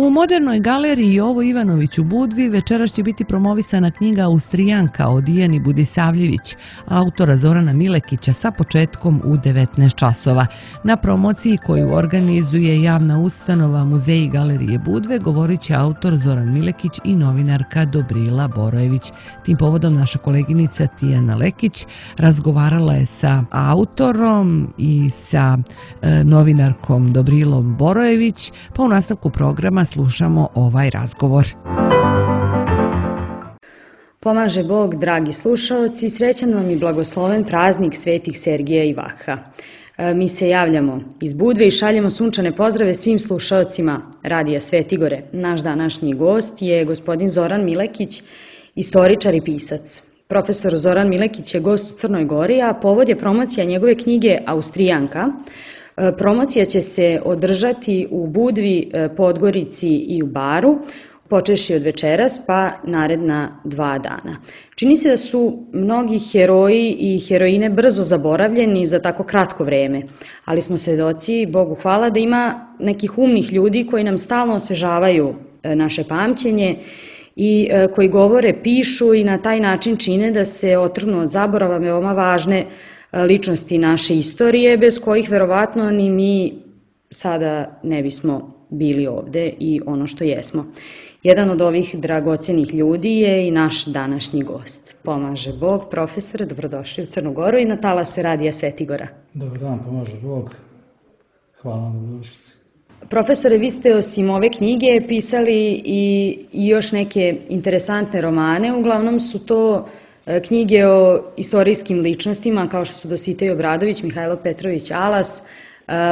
U Modernoj galeriji Jovo Ivanović u Budvi večeras će biti promovisana knjiga Austrijanka od Dijani Budisavljević, autora Zorana Milekića, sa početkom u 19 časova. Na promociji koju organizuje javna ustanova Muzeji galerije Budve govorit će autor Zoran Milekić i novinarka Dobrila Borojević. Tim povodom naša koleginica Tijana Lekić razgovarala je sa autorom i sa novinarkom Dobrilom Borojević, pa u nastavku programa slušamo ovaj razgovor. Pomaže Bog, dragi slušaoci, srećan vam i blagosloven praznik svetih Sergija i Vakha. Mi se javljamo iz Budve i šaljemo sunčane pozdrave svim slušaocima Radija Svetigore. Naš današnji gost je gospodin Zoran Milekić, istoričar i pisac. Profesor Zoran Milekić je gost u Crnoj Gori, a povod je promocija njegove knjige Austrijanka. Promocija će se održati u Budvi, Podgorici i u Baru, počevši od večeras pa naredna 2 dana. Čini se da su mnogi heroji i heroine brzo zaboravljeni za tako kratko vreme, ali smo svedoci, Bogu hvala, da ima nekih umnih ljudi koji nam stalno osvežavaju naše pamćenje i koji govore, pišu i na taj način čine da se otrgnu od zaborava veoma važne ličnosti naše istorije, bez kojih verovatno ni mi sada ne bismo bili ovde i ono što jesmo. Jedan od ovih dragocenih ljudi je i naš današnji gost. Pomaže Bog, profesor, dobrodošli u Crnu Goru i na talase Radija Svetigora. Dobar dan, pomaže Bog. Hvala vam na dobrodošlici. Profesore, vi ste osim ove knjige pisali i još neke interesantne romane, uglavnom su to knjige o istorijskim ličnostima kao što su Dositej Obradović, Mihajlo Petrović Alas,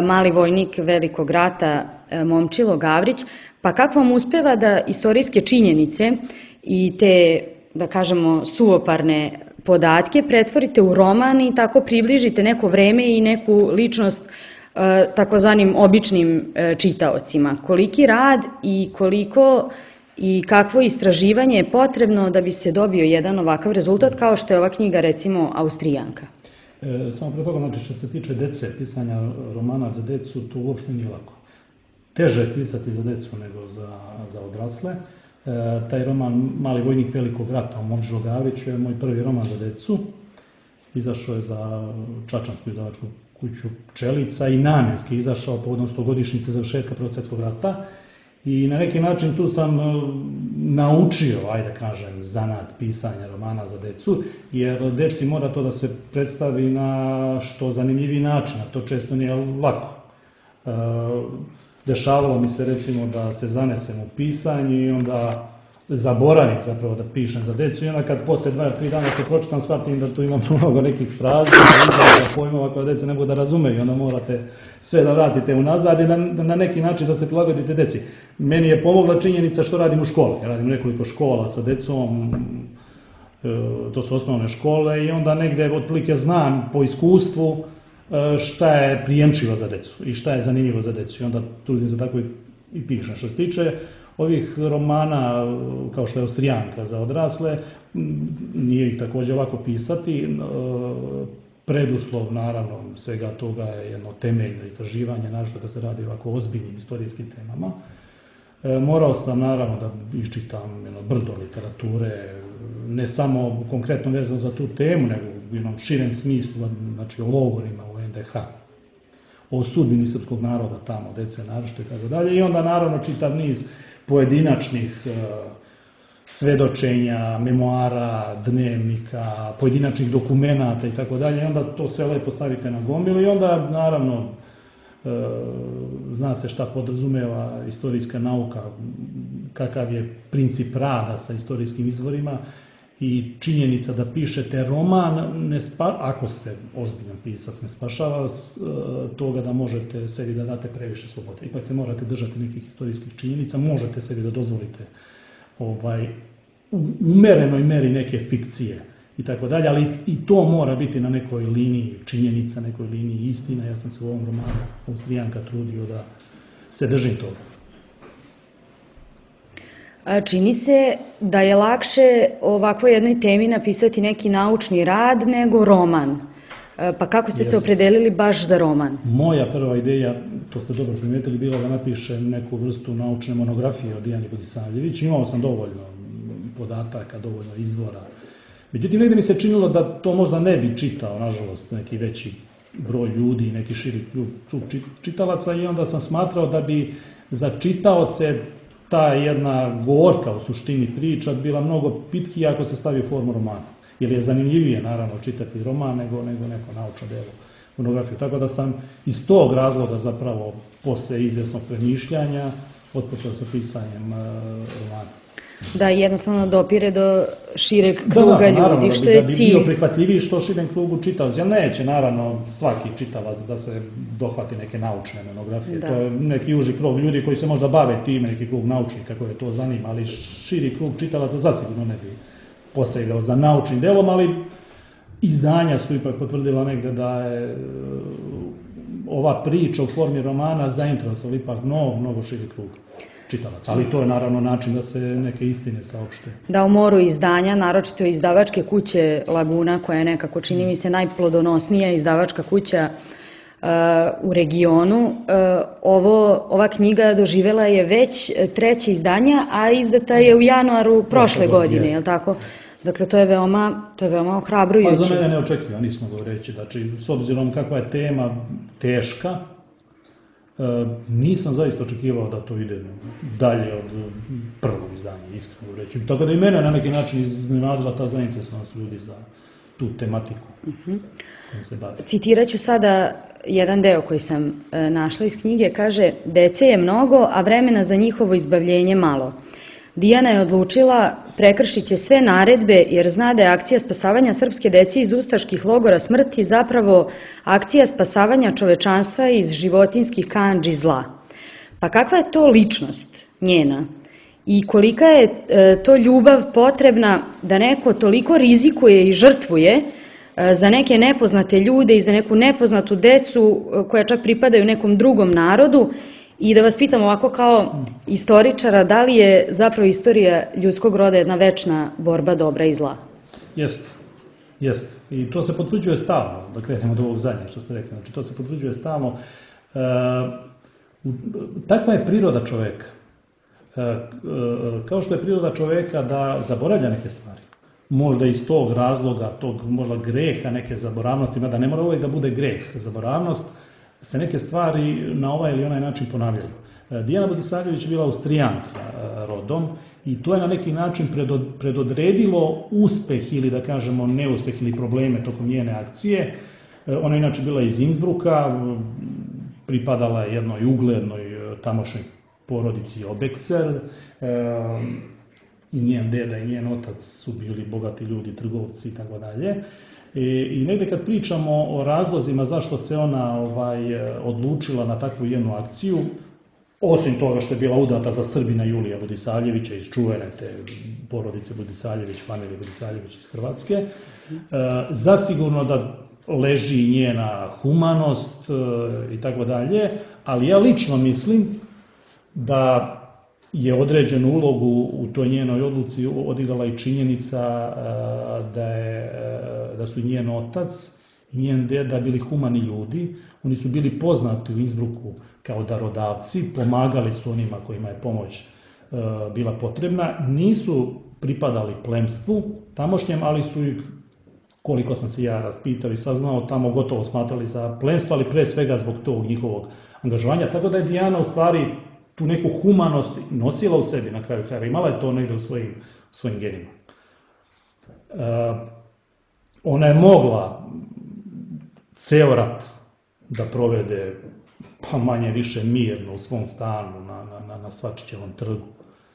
Mali vojnik Velikog rata Momčilo Gavrić. Pa kako vam uspeva da istorijske činjenice i te, da kažemo, suvoparne podatke pretvorite u roman i tako približite neko vreme i neku ličnost takozvanim običnim čitaocima? Koliki rad i koliko i kakvo istraživanje je potrebno da bi se dobio jedan ovakav rezultat kao što je ova knjiga, recimo, Austrijanka? Samo pre toga, znači, što se tiče dece, pisanja romana za decu, to uopšte nije lako. Teže je pisati za decu nego za odrasle. Taj roman Mali vojnik Velikog rata Momčilo Gavrić je moj prvi roman za decu. Izašao je za čačansku izdavačku kuću Pčelica i namjenski izašao povodom 100-godišnjice završetka Prvog svjetskog rata. I na neki način tu sam naučio, ajde kažem, zanat pisanja romana za decu, jer deci mora to da se predstavi na što zanimljiviji način, a to često nije lako. Dešavalo mi se, recimo, da se zanesem u pisanje i onda zaboravim zapravo da pišem za decu i onda kad posle 2 ili 3 dana to pročitam, shvatim da tu imam mnogo nekih fraza, pojmova koje deca ne mogu da razumeju, onda morate sve da vratite unazad i na neki način da se prilagodite deci. Meni je pomogla činjenica što radim u školi. Ja radim nekoliko škola sa decom, to su osnovne škole i onda negde otprilike znam po iskustvu šta je prijemčivo za decu i šta je zanimljivo za decu i onda trudim se tako i pišem. Što se tiče ovih romana, kao što je Austrijanka za odrasle, nije ih također lako pisati. Preduslov, naravno, svega toga je jedno temeljno istraživanje, naročito kad se radi o ovako ozbiljnim istorijskim temama. Morao sam, naravno, da iščitam brdo literature, ne samo konkretno vezano za tu temu, nego u jednom širem smislu, znači o logorima u NDH, o sudbini srpskog naroda tamo, dece naročito i tako dalje. I onda, naravno, čitav niz pojedinačnih svedočenja, memoara, dnevnika, pojedinačnih dokumenata i tako dalje. I onda to sve lepo stavite na gomilu i onda, naravno, zna se šta podrazumeva istorijska nauka, kakav je princip rada sa istorijskim izvorima i činjenica da pišete roman, ako ste ozbiljan pisac, ne spašava toga da možete sebi da date previše slobode. Ipak se morate držati nekih istorijskih činjenica, možete sebi da dozvolite u umerenoj meri neke fikcije i tako dalje, ali i to mora biti na nekoj liniji činjenica, nekoj liniji istina. Ja sam se u ovom romanu Austrijanka trudio da se držim toga. Čini se da je lakše ovakvoj jednoj temi napisati neki naučni rad nego roman. Pa kako ste se opredelili baš za roman? Moja prva ideja, to ste dobro primijetili, bila da napišem neku vrstu naučne monografije o Dijani Budisavljević. Imao sam dovoljno podataka, dovoljno izvora. Međutim, negdje mi se činilo da to možda ne bi čitao, nažalost, neki veći broj ljudi, neki širi krug čitalaca, i onda sam smatrao da bi za čitaoce ta jedna gorka u suštini priča bila mnogo pitkija ako se stavi u formu romana. Jer je zanimljivije, naravno, čitati roman nego neko naučno delo, monografiju. Tako da sam iz tog razloga zapravo posle izvjesnog premišljanja otpočeo sa pisanjem romana. Da jednostavno dopire do šireg kruga ljudi, što je cilj. Da bi bio prihvatljiviji što širem krugu čitalaca. Jer neće, naravno, svaki čitalac da se dohvati neke naučne monografije. To je neki uži krug ljudi koji se možda bave time, neki krug naučnika koje to zanima, ali širi krug čitalaca zasigurno ne bi posegao za naučnim delom, ali izdanja su ipak potvrdila negde da je ova priča u formi romana zainteresovala ipak mnogo širi krug čitalaca. Ali to je naravno način da se neke istine saopšte. Da, u moru izdanja, naročito izdavačke kuće Laguna, koja je nekako, čini mi se, najplodonosnija izdavačka kuća u regionu. Ova knjiga doživjela je već 3. izdanje, a izdata je u januaru prošle godine, je li tako? Dakle, to je veoma ohrabrujuće. Pa za mene neočekivano, nismo govoreći. Znači, s obzirom kakva je tema teška, nisam zaista očekivao da to ide dalje od prvog izdanja, iskreno reći. Tako da i mene na neki način iznenadila ta zainteresovanost ljudi za tu tematiku kojom se bavi. Citirat ću sada jedan deo koji sam našla iz knjige. Kaže: dece je mnogo, a vremena za njihovo izbavljenje malo. Dijana je odlučila prekršit će sve naredbe jer zna da je akcija spasavanja srpske dece iz ustaških logora smrti zapravo akcija spasavanja čovečanstva iz životinskih kandži zla. Pa kakva je to ličnost njena i kolika je to ljubav potrebna da neko toliko rizikuje i žrtvuje za neke nepoznate ljude i za neku nepoznatu decu koja čak pripadaju nekom drugom narodu. I da vas pitam ovako kao istoričara, da li je zapravo istorija ljudskog roda jedna večna borba dobra i zla? Jeste. I to se potvrđuje stalno, da krenemo od ovog zadnjeg što ste rekli. Znači, to se potvrđuje stalno. Takva je priroda čoveka. Kao što je priroda čoveka da zaboravlja neke stvari. Možda iz tog razloga, tog možda greha, neke zaboravnosti, mada ne mora uvijek da bude greh, zaboravnost, se neke stvari na ovaj ili onaj način ponavljaju. Dijana Budisavljević je bila Austrijanka rodom i to je na neki način predodredilo uspeh ili da kažemo neuspeh ili probleme tokom njene akcije. Ona je inače bila iz Innsbrucka, pripadala je jednoj uglednoj tamošnjoj porodici Obexer i njen deda i njen otac su bili bogati ljudi, trgovci i tako dalje. I negdje kad pričamo o razlozima zašto se ona odlučila na takvu jednu akciju, osim toga što je bila udata za Srbina Julija Budisavljevića iz čuvene te porodice Budisavljević, familije Budisavljević iz Hrvatske, zasigurno da leži njena humanost i tako dalje, ali ja lično mislim da je određenu ulogu u toj njenoj odluci odigrala i činjenica da su njen otac i njen deda bili humani ljudi. Oni su bili poznati u Innsbrucku kao darodavci, pomagali su onima kojima je pomoć bila potrebna. Nisu pripadali plemstvu tamošnjem, ali su ih, koliko sam se ja raspitao i saznao, tamo gotovo smatrali za plemstvo, ali pre svega zbog tog njihovog angažovanja. Tako da je Dijana u stvari tu neku humanost nosila u sebi na kraju krajeva. Imala je to negdje u svojim genima. Ona je mogla ceo rat da provede pa manje više mirno u svom stanu na Svačićevom trgu,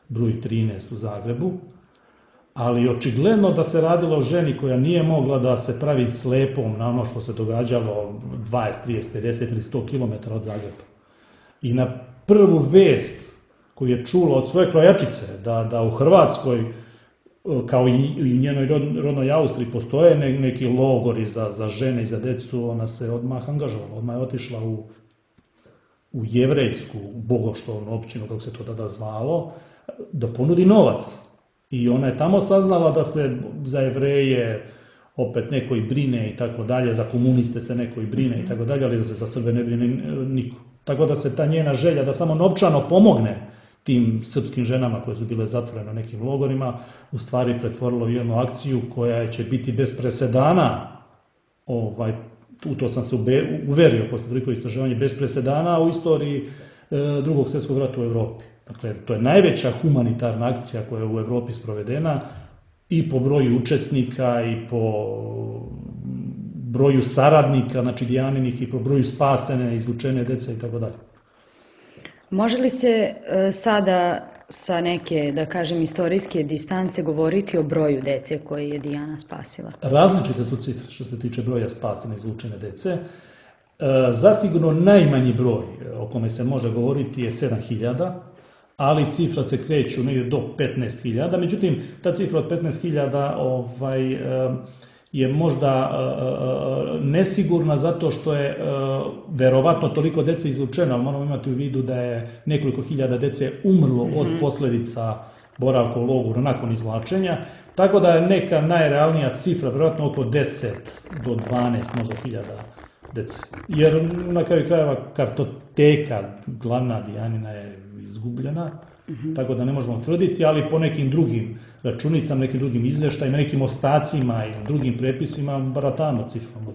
broj 13 u Zagrebu, ali očigledno da se radilo o ženi koja nije mogla da se pravi slepom na ono što se događalo 20, 30, 50 ili 100 km od Zagreba. I na prvu vest koju je čula od svoje krojačice da u Hrvatskoj, kao i njenoj rodnoj Austriji, postoje neki logori za žene i za decu, ona se odmah angažovala, odmah je otišla u jevrejsku bogoštovnu općinu, kako se to tada zvalo, da ponudi novac. I ona je tamo saznala da se za Jevreje opet neko i brine i tako dalje, za komuniste se neko i brine i tako dalje, ali da se za Srbe ne brine niko. Tako da se ta njena želja da samo novčano pomogne tim srpskim ženama koje su bile zatvorene u nekim logorima, u stvari pretvorilo u jednu akciju koja će biti bez presedana, u to sam se uverio posle toliko istraživanja, bez presedana u istoriji Drugog svjetskog rata u Evropi. Dakle, to je najveća humanitarna akcija koja je u Evropi sprovedena i po broju učesnika i po broju saradnika, znači Dijaninih, i po broju spasene, izvučene dece i tako dalje. Može li se sada sa neke, da kažem, istorijske distance govoriti o broju dece koje je Dijana spasila? Različite su cifre što se tiče broja spasene, izvučene dece. Zasigurno najmanji broj o kome se može govoriti je 7.000, ali cifra se kreću negdje do 15.000. Međutim, ta cifra od 15.000 je možda nesigurna zato što je verovatno toliko dece izvučeno, ali moramo imati u vidu da je nekoliko hiljada dece umrlo od posljedica boravka u logoru nakon izvlačenja, tako da je neka najrealnija cifra, verovatno oko 10 do 12 možda hiljada dece. Jer na kraju krajeva kartoteka glavna Dijanina je izgubljena, tako da ne možemo tvrditi, ali po nekim drugim računicama, nekim drugim izveštajima, nekim ostacima i drugim prepisima baratamo cifrom od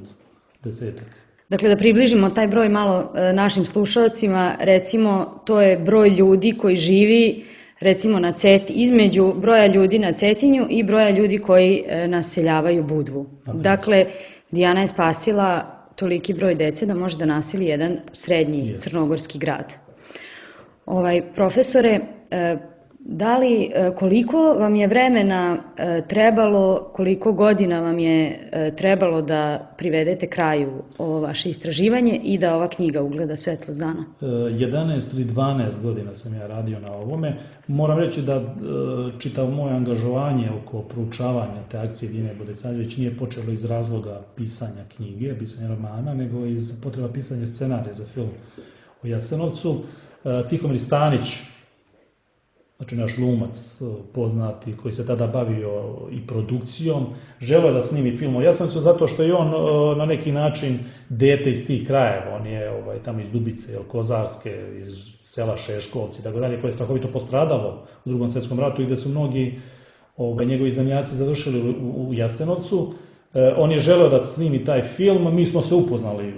10-ak. Dakle, da približimo taj broj malo našim slušalcima, recimo to je broj ljudi koji živi recimo između broja ljudi na Cetinju i broja ljudi koji naseljavaju Budvu. Dakle, Dijana je spasila toliki broj dece da može da naseli jedan srednji crnogorski grad. Profesore, koliko vam je vremena trebalo, koliko godina vam je trebalo da privedete kraju ovo vaše istraživanje i da ova knjiga ugleda svetlost dana? 11 ili 12 godina sam ja radio na ovome. Moram reći da čitavo moje angažovanje oko proučavanja te akcije Dijane Budisavljević nije počelo iz razloga pisanja knjige, pisanja romana, nego iz potreba pisanja scenarija za film o Jasenovcu. Tihomir Stanić, znači naš glumac poznati koji se tada bavio i produkcijom, želeo da snimi film o Jasenovcu zato što je on na neki način dete iz tih krajeva. On je tamo iz Dubice, Kozarske, iz sela Šeškovci, tako dalje, koje je strahovito postradalo u Drugom svjetskom ratu i gde su mnogi njegovi zemljaci završili u Jasenovcu. On je želeo da snimi taj film, mi smo se upoznali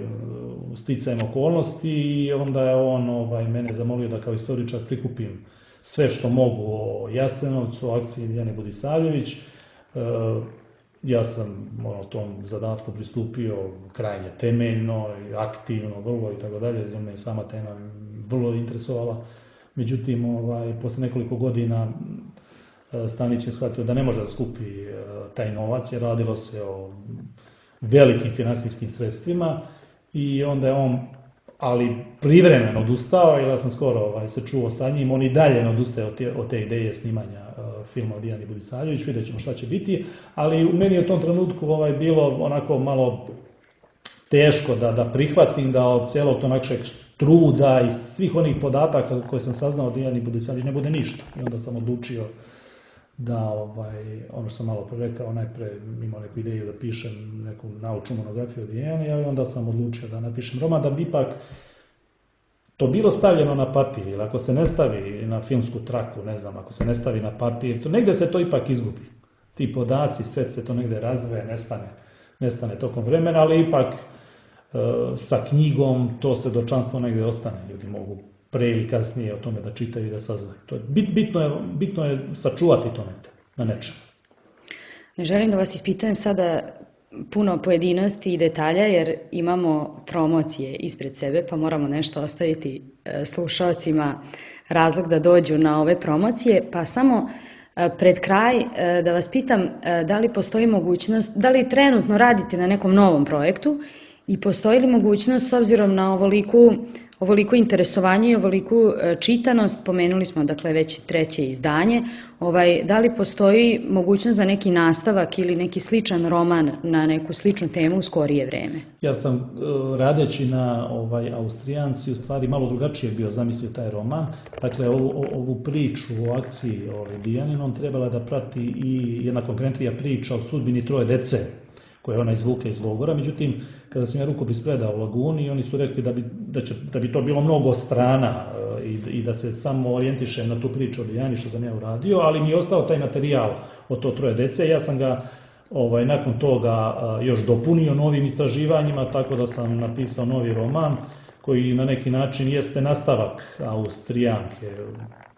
sticajem okolnosti i onda je on mene zamolio da kao istoričar prikupim sve što mogu o Jasenovcu, o akciji Dijane Budisavljević. Ja sam tom zadatku pristupio krajnje temeljno, aktivno, vrlo i tako dalje, jer me sama tema vrlo interesovala. Međutim, posle nekoliko godina Stanić je shvatio da ne može da skupi taj novac, jer radilo se o velikim finansijskim sredstvima i onda je on, ali privremeno odustao, jer ja sam skoro se čuo sa njim, on i dalje ne odustaje od te ideje snimanja filma o Dijani Budisavljević, vidjet ćemo šta će biti, ali u meni je u tom trenutku bilo onako malo teško da prihvatim da od cijelog tog našeg truda i svih onih podataka koje sam saznao o Dijani Budisavljević ne bude ništa. I onda sam odlučio da, ono što sam malo rekao, najpre imao neku ideju da pišem neku naučnu monografiju o Dijani, ali onda sam odlučio da napišem roman, da bi ipak to bilo stavljeno na papir, ili ako se ne stavi na filmsku traku, ne znam, ako se ne stavi na papir, negde se to ipak izgubi. Ti podaci, sve se to negde razve, nestane tokom vremena, ali ipak sa knjigom to svedočanstvo negde ostane, ljudi mogu pre ili kasnije o tome da čitaju i da saznaju. Bitno je sačuvati to na nečemu. Ne želim da vas ispitujem sada puno pojedinosti i detalja, jer imamo promocije ispred sebe, pa moramo nešto ostaviti slušalcima razlog da dođu na ove promocije. Pa samo pred kraj da vas pitam da li postoji mogućnost, da li trenutno radite na nekom novom projektu i postoji li mogućnost, s obzirom na ovoliko interesovanje i ovoliku čitanost, pomenuli smo dakle već 3. izdanje, da li postoji mogućnost za neki nastavak ili neki sličan roman na neku sličnu temu u skorije vreme? Ja sam radeći na Austrijanci u stvari malo drugačije bio zamislio taj roman. Dakle, ovu priču o akciji Dijaninom trebala da prati i jedna konkretnija priča o sudbini 3 dece koje ona izvukla iz logora. Međutim, kada sam ja rukopis predao u Laguni, oni su rekli da bi to bilo mnogo strana i da se samo orijentišem na tu priču o Dijani što sam ja uradio, ali mi je ostao taj materijal od to 3 dece. Ja sam ga nakon toga još dopunio novim istraživanjima, tako da sam napisao novi roman koji na neki način jeste nastavak Austrijanke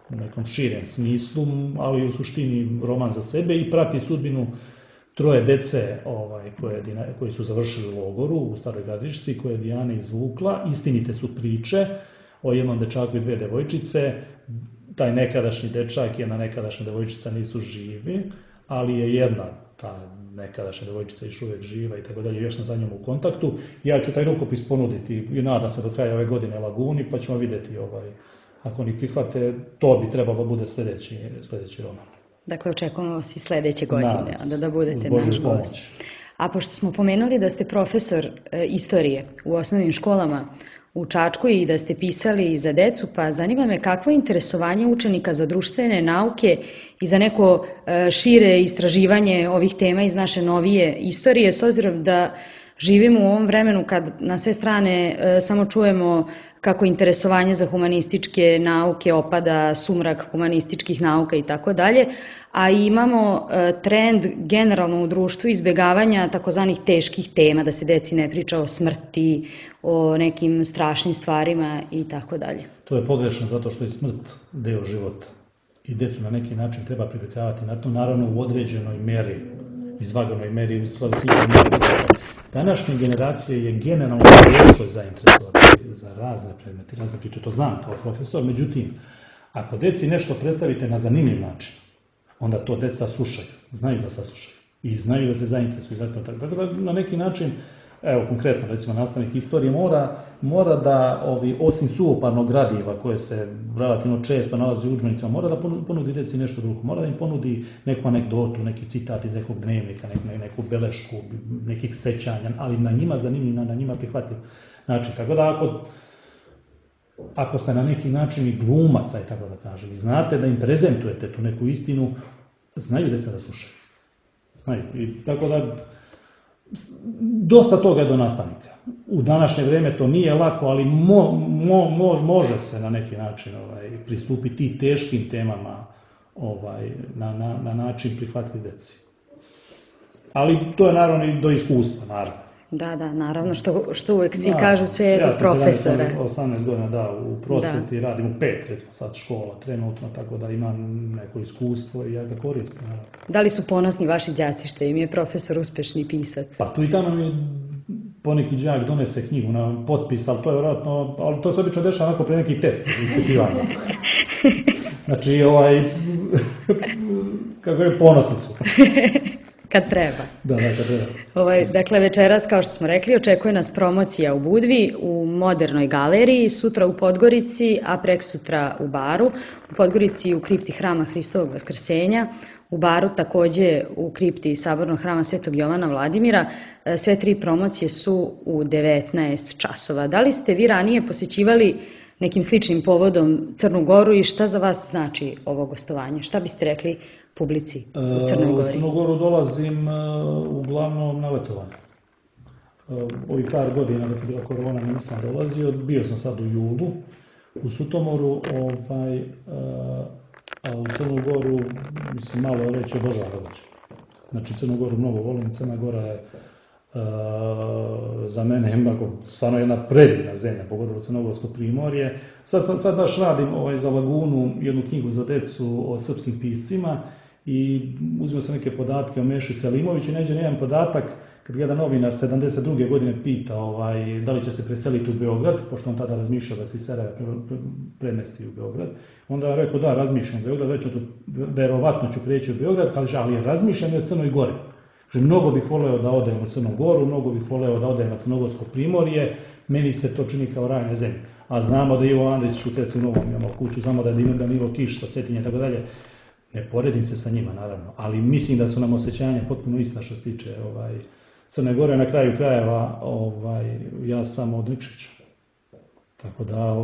u nekom širem smislu, ali u suštini roman za sebe i prati sudbinu 3 dece koji su završili u logoru u Staroj Gradišci, koje je Dijana izvukla. Istinite su priče o jednom dečaku i 2 devojčice. Taj nekadašnji dečak i jedna nekadašnja devojčica nisu živi, ali je jedna ta nekadašnja devojčica još uvijek živa i tako dalje, još sam za njom u kontaktu. Ja ću taj rukopis ponuditi i nadam se do kraja ove godine Laguni, pa ćemo vidjeti ako oni prihvate, to bi trebalo bude sljedeći roman. Dakle, očekujemo vas i sljedeće godine, da budete naš gost. A pošto smo pomenuli da ste profesor istorije u osnovnim školama u Čačku i da ste pisali za decu, pa zanima me kakvo je interesovanje učenika za društvene nauke i za neko šire istraživanje ovih tema iz naše novije istorije, s obzirom da živimo u ovom vremenu kad na sve strane samo čujemo kako interesovanje za humanističke nauke opada, sumrak humanističkih nauka i tako dalje, a imamo trend generalno u društvu izbjegavanja takozvanih teških tema, da se deci ne priča o smrti, o nekim strašnim stvarima i tako dalje. To je pogrešno zato što je smrt deo života i decu na neki način treba privikavati na to, naravno u određenoj meri, izvaganoj meri, u stvari sličnoj meri. Današnje generacije je generalno teško zainteresovati za razne predmete, razne priče, to znam kao profesor, međutim, ako deci nešto predstavite na zanimljiv način, onda to deca slušaju, znaju da saslušaju i znaju da se zainteresuju. Tako da na neki način, evo konkretno recimo nastavnik istorije mora da osim suvoparnog gradiva koje se relativno često nalazi u udžbenicima, mora da ponudi deci nešto drugo, mora da im ponudi neku anegdotu, neki citat iz nekog dnevnika, neku belešku, nekih sećanja, ali na njima zanimljiv, na njima prihvatljiv način. Tako da ako ste na neki način i glumac, aj tako da kažem, i znate da im prezentujete tu neku istinu, znaju deca da slušaju. Znaju. I tako da dosta toga je do nastavnika. U današnje vrijeme to nije lako, ali može se na neki način pristupiti teškim temama na način prihvatljiv deci. Ali to je naravno i do iskustva, naravno. Da, naravno, što uvijek svi kažu, sve je do profesora. Ja sam 18 godina u prosvjeti, radim u 5, recimo sad škola trenutno, tako da imam neko iskustvo i ja ga koristim. Da li su ponosni vaši đaci što im je profesor uspješni pisac? Pa tu i tamo mi poneki đak donese knjigu na potpis, ali to je vjerojatno, ali to se obično dešava onako pre neki test, ispitivanja. Znači, kako je, ponosni su. Kad treba. Da, kad treba. Dakle, večeras, kao što smo rekli, očekuje nas promocija u Budvi, u Modernoj galeriji, sutra u Podgorici, a preksutra u Baru. U Podgorici u kripti Hrama Hristovog Vaskrsenja, u Baru također u kripti Sabornog hrama Svetog Jovana Vladimira. Sve 3 promocije su u 19 časova. Da li ste vi ranije posjećivali nekim sličnim povodom Crnu Goru i šta za vas znači ovo gostovanje? Šta biste rekli publici u Crnoj Gori? U Crnu Goru dolazim uglavnom na letovanje. Ovih par godina dok je bila korona nisam dolazio, bio sam sad u julu u Sutomoru, a u Crnu Goru, mislim, malo reći obožavam dođe. Znači, Crnu Goru mnogo volim, Crna Gora je za mene stvarno jedna predivna zemlja, pogotovo Crnogorsko primorje. Sad baš radim za Lagunu jednu knjigu za decu o srpskim piscima i uzimao sam neke podatke o Meši Selimoviću i nađem jedan podatak kad jedan novinar 72. godine pita da li će se preseliti u Beograd, pošto on tada razmišljao da se iz Sarajeva premesti u Beograd. Onda je rekao da, razmišljam u Beograd, verovatno ću prijeći u Beograd, ali razmišljam i o Crnoj Gori. Mnogo bih voleo da odem u Crnu Goru, mnogo bih voleo da odem na Crnogorsko primorje, meni se to čini kao raj na zemlji. A znamo da Ivo Andrić u Trecinovom imamo kuću, znamo da je Danilo Kiš sa Cetinje i tako dalje. Ne poredim se sa njima, naravno, ali mislim da su nam osjećanja potpuno ista što se tiče Crne Gore. Na kraju krajeva ja sam od Nikšića. Tako da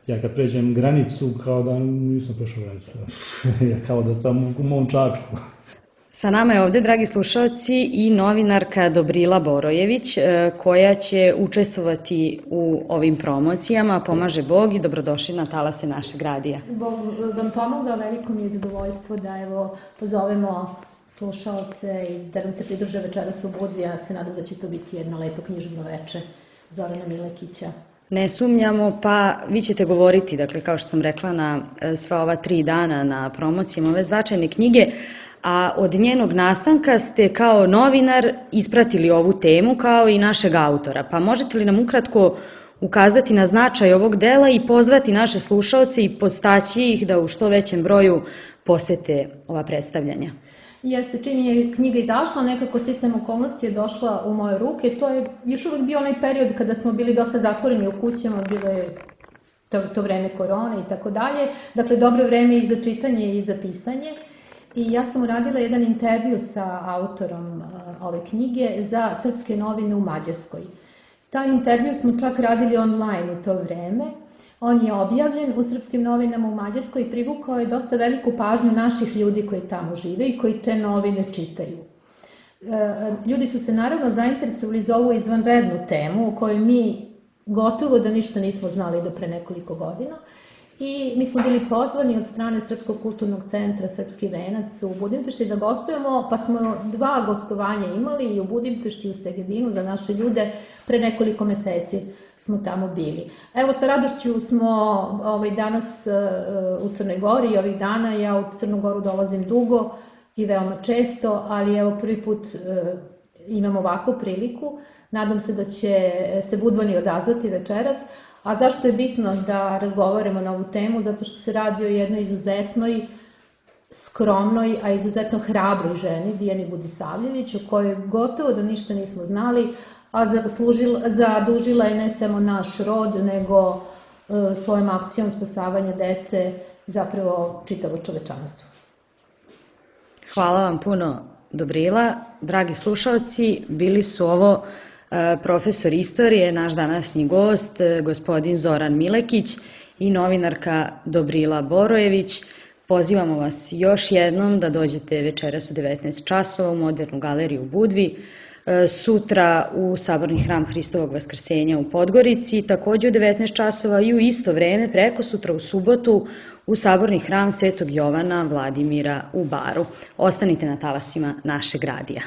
ja kad pređem granicu kao da nisam prešao granicu. Ja kao da sam u mom Čačku. Sa nama je ovde, dragi slušalci, i novinarka Dobrila Borojević, koja će učestvovati u ovim promocijama. Pomaže Bog i dobrodošli na Talase našeg radija. Bog vam pomogao, veliko mi je zadovoljstvo da pozovemo slušalce i da nam se pridruže večeras u Budvi. Ja se nadam da će to biti jedno lepo književno veče Zorana Milekića. Ne sumnjamo, pa vi ćete govoriti, dakle, kao što sam rekla, na sva ova 3 dana na promocijama ove značajne knjige, a od njenog nastanka ste kao novinar ispratili ovu temu kao i našeg autora. Pa možete li nam ukratko ukazati na značaj ovog dela i pozvati naše slušaoce i podstaći ih da u što većem broju posete ova predstavljanja? Jeste, čim je knjiga izašla, nekako sticajem okolnosti je došla u moje ruke. To je još uvek bio onaj period kada smo bili dosta zatvoreni u kućama, bilo je to vreme korone i tako dalje. Dakle, dobro vreme i za čitanje i za pisanje. I ja sam uradila jedan intervju sa autorom ove knjige za Srpske novine u Mađarskoj. Taj intervju smo čak radili online u to vreme. On je objavljen u Srpskim novinama u Mađarskoj i privukao je dosta veliku pažnju naših ljudi koji tamo žive i koji te novine čitaju. Ljudi su se naravno zainteresovali za ovu izvanrednu temu o kojoj mi gotovo da ništa nismo znali do pre nekoliko godina. I mi smo bili pozvani od strane Srpskog kulturnog centra Srpski venac u Budimpešti da gostujemo, pa smo 2 gostovanja imali i u Budimpešti i u Segedinu za naše ljude. Pre nekoliko meseci smo tamo bili. Evo, sa radošću smo danas u Crnoj Gori i ovih dana. Ja u Crnu Goru dolazim dugo i veoma često, ali evo prvi put imam ovakvu priliku. Nadam se da će se Budvani odazvati večeras. A zašto je bitno da razgovaramo na ovu temu? Zato što se radi o jednoj izuzetnoj, skromnoj, a izuzetno hrabroj ženi, Dijani Budisavljević, o kojoj gotovo da ništa nismo znali, a zadužila je ne samo naš rod, nego svojom akcijom spasavanja dece zapravo čitavo čovečanstvo. Hvala vam puno, Dobrila. Dragi slušalci, bili su ovo profesor istorije, naš današnji gost, gospodin Zoran Milekić i novinarka Dobrila Borojević. Pozivamo vas još jednom da dođete večeras u 19 časova u Modernu galeriju u Budvi, sutra u Saborni hram Hristovog vaskrsenja u Podgorici, takođe u 19 časova i u isto vreme prekosutra u subotu u Saborni hram Svetog Jovana Vladimira u Baru. Ostanite na talasima našeg radija.